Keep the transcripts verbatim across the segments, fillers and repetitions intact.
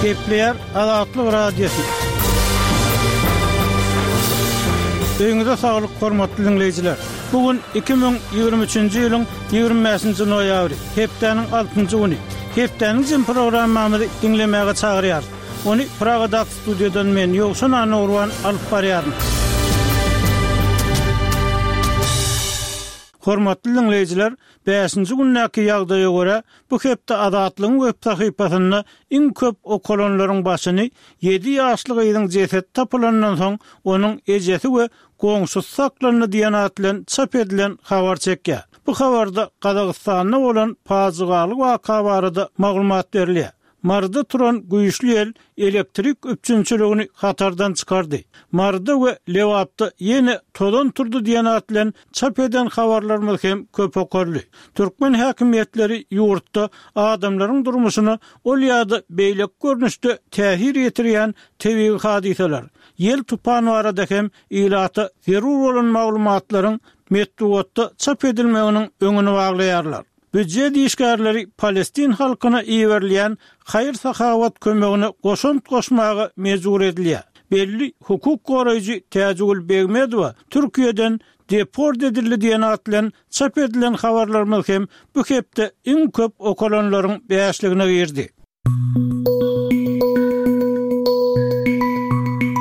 Gepleýär Azatlyk Radiosy. Öýüňize saglyk, hormatly diňleýjiler. Bu gün iki müň ýigrimi üçünji ýylyň ýigrimi bäşinji noýabry, hepdäniň altynjy güni. Hepdäniň jemi programmamyzy diňlemäge çagyrýarys. Ony Pragadaky studiýadan men, Ýowşan Annagurban alyp barýaryn. Hormatly diňleýjiler, bäşinji gündäki ýagdaýa görä, bu hepde Azatlygyň web sahypasynda iň köp okalanlaryň başyny ýedi ýaşly gyzyň jesedi tapylandan soň onuň ejesi we goňşusy saklandy diýen at bilen çap edilen habar çekýär. Bu habarda Gazagystanda bolan pajygaly waka barada maglumat berilýär. Maryda turan güýçli ýel elektrik üpjünçiligini hatardan çykardy. Maryda we Lebapda ýene tozan turdy diýen at bilen çap eden habarlarymyz hem köp okaldy. Türkmen häkimiýetleri ýurtda adamlaryň durmuşyna ol ýa-da beýleki görnüşde täsir ýetirýän tebigy hadysalar, ýel tupan barada hem ilata zerur bolan maglumatlaryň metbugatda çap edilmeginiň öňüni baglaýarlar. Býujet işgärleri Palestin halkyna iberilýän haýyr-sahawat kömegine goşant goşmaga mejbur edilýär. Belli hukuk goraýjy Täjigül Begmedowa Türkiýeden deport edildi diýen at bilen çap edilen habarlarymyz hem bu hepde iň köp okalanlaryň bäşligine girdi.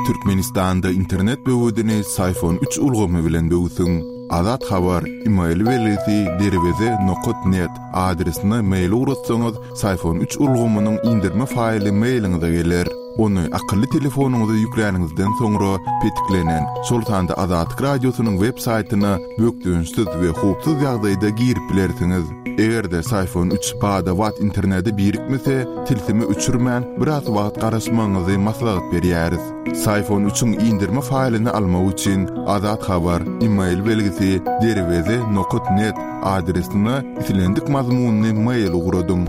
Türkmenistanda internet böwedini Syfon üç ulgamy bilen böwsüň. Azat Habar, e-mail belgisi derweze nokat net adresine mail ugratsaňyz, Syfon üç ulgamynyň indirme faýly mailiňize geler. Ony akylly telefonyňyza ýükläniňizden soňra petiklenen, şol sanda Azatlyk Radiosynyň web saýtyna bökdençsiz we howpsuz ýagdaýda girip bilersiňiz. Eger-de Syfon üç bada-bat internete birikmese, tilsimi öçürmän biraz wagt garaşmagyňyzy maslahat berýäris. Syfon üçiň indirme faýlyny almak üçin Azat Habar, e-mail belgisi derweze nokat net adresine islendik mazmunyny mail ugradyň.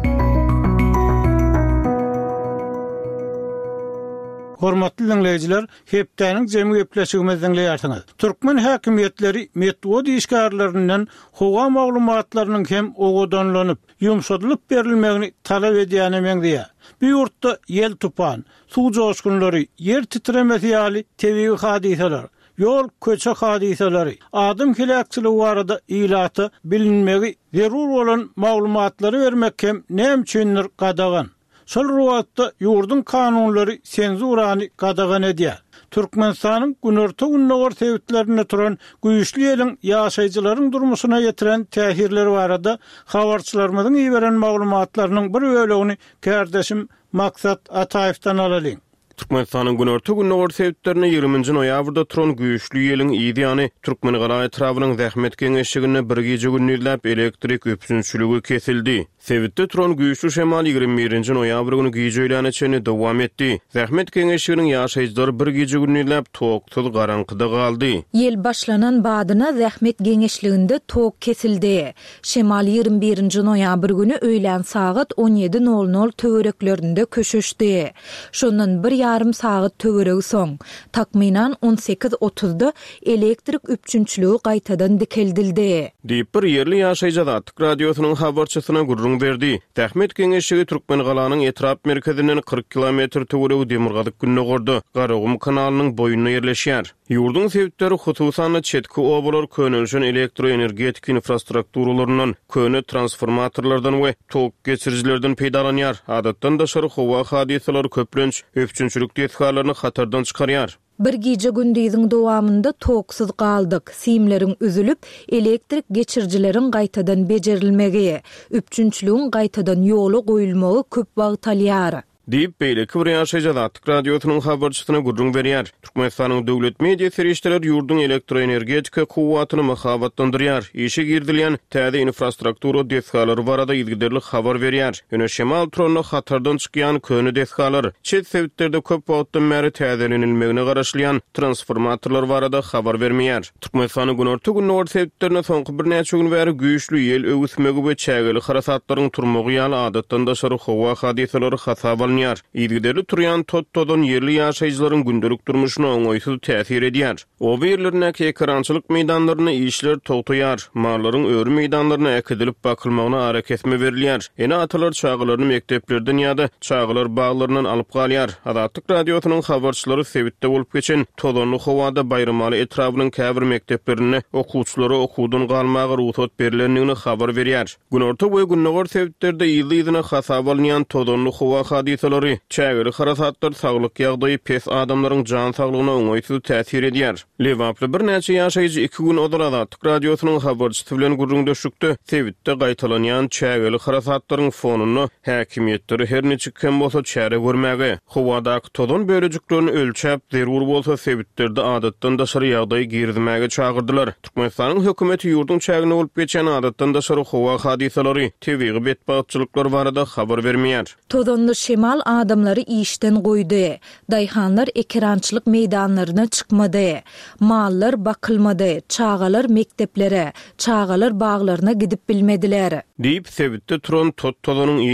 Hormatly diňleýjiler, hepdäniň jemi gepleşigimizi diňleýärsiňiz. Türkmen häkimiýetleri metbugat işgärlerinden howa maglumatlarynyň hem owadanlanyp, ýumşadylyp berilmegini talap edýäne meňzeýär. Bu ýurtda ýel tupan, suw joşgunlary, ýer titremesi ýaly tebigy hadysalar, ýol köçe hadysalary, adam heläkçiligi barada ilata bilinmegi zerur bolan maglumatlary bermek hem näme üçindir gadagan. Şol wagtda ýurduň kanunlary senzurany gadagan edýär. Türkmenistanyň günorta-gündogar sebitlerinde turan güýçli ýeliň ýaşaýjylaryň durmuşyna ýetiren täsirleri barada habarçylarymyzyň iberen maglumatlarynyň bir bölegini kärdeşim Maksat Ataýewden alalyň. Türkmenistanyň günorta-gündogar sebitlerinde ýigriminji noýabrda turan güýçli ýeliň yzy ýany Türkmengala etrabynyň zähmet geňeşliginde bir gije gündizläp elektrik üpjünçiligi kesildi. Sebitde turan güýçli şemal ýigrimi birinji noýabr güni gije öýläne çenli dowam etdi. Zähmet geňeşliginiň ýaşaýjylary bir gije gündizläp toksuz garaňkyda galdy. Ýel başlanan badyna zähmet geňeşliginde tok kesildi. Şemal ýigrimi birinji noýabr güni öýlän sagat on ýedi nol nol töwereklerinde köşeşdi. Şondan bir ýarym sagat töweregi soň, takmynan on sekiz otuzda elektrik üpjünçiligi gaýtadan dikeldildi. Diýip bir ýerli ýaşaýjy Azatlyk Radiosynyň habarçysyna gürrüň berdi. Zähmet geňeşligi Türkmengalanyň etrap merkezinden kyrk kilometr töweregi demirgazyk gündogarda Garagum kanalynyň boýunda ýerleşýär. Ýurduň sebitleri, hususan-da çetki obalar könelişen elektroenergetik infrastrukturalaryndan, köne transformatorlardan we tok geçirijilerden peýdalanýar. Adatdan daşary howa hadysalary köplenç üpjünçilik desgalaryny hatardan çykarýar. Bir gije gündiziň dowamynda toksuz galdyk, simleriň üzülip, elektrik geçirijileriň gaýtadan bejerilmegi, üpjünçiligiň gaýtadan ýola goýulmagy köp wagt alýar. Diýip, beýleki bir ýaşaýjy Azatlyk Radiosynyň habarçysyna gürrüň berýär. Türkmenistanyň döwlet media serişdeleri ýurduň elektroenergetika kuwwatyny mahabatlandyrýar. Işe girizilýän täze infrastruktura desgalary barada yzygiderli habar berýär. Ýöne şemal turanda hatardan çykýan köne desgalar, çet sebitlerde köp wagtdan bäri täzelenilmegine garaşylýan transformatorlar barada habar bermeýär. Türkmenistanyň günorta-gündogar sebitlerinde soňky birnäçe gün bäri güýçli ýel öwüsmegi we çägeli harasatlaryň turmagy ýaly adatdan daşary howa hadysalary hasap alynýar. alynýar. Yzygiderli turýan tot-tozan ýerli ýaşaýjylaryň gündelik durmuşyna oňaýsyz täsir edýär. Oba ýerlerindäki ekerançylyk meýdanlarynda işler togtaýar, mallaryň öri meýdanlaryna äkidilip bakylmagyna arakesme berilýär. Ene-atalar çagalaryny mekdeplerden ýa-da çagalar baglaryndan alyp galýar. Azatlyk Radiosynyň habarçylary sebitde bolup geçen tozanly howada Baýramaly etrabynyň käbir mekdeplerinde okuwçylara okuwdan galmaga rugsat berilendigini habar berýär. Günorta we gündogar sebitlerde yzly-yzyna hasaba alynýan tozanly howa hadysalary, çägeli harasatlar saglyk ýagdaýy pes adamlaryň jan saglygyna oňaýsyz täsir edýär. Lebaply birnäçe ýaşaýjy iki gün ozal Azatlyk Radiosynyň habarçysy bilen gürrüňdeşlikde sebitde gaýtalanýan çägeli harasatlaryň fonunda häkimiýetleri her niçik hem bolsa çäre görmäge, howadaky tozan bölejiklerini ölçäp, zerur bolsa sebitlerde adatdan daşary ýagdaý girizmäge çagyrdylar. Türkmenistanyň hökümeti ýurduň çäginde bolup geçýän adatdan daşary howa hadysalary, tebigy betbagtçylyklar barada habar bermeýär. Tozanly şemal adamlary işden goýdy. Daýhanlar ekerançylyk meýdanlaryna çykmady. Mallar bakylmady, çagalar mekdeplere, çagalar baglaryna gidip bilmediler. Diýip, sebitde turan tot-tozanyň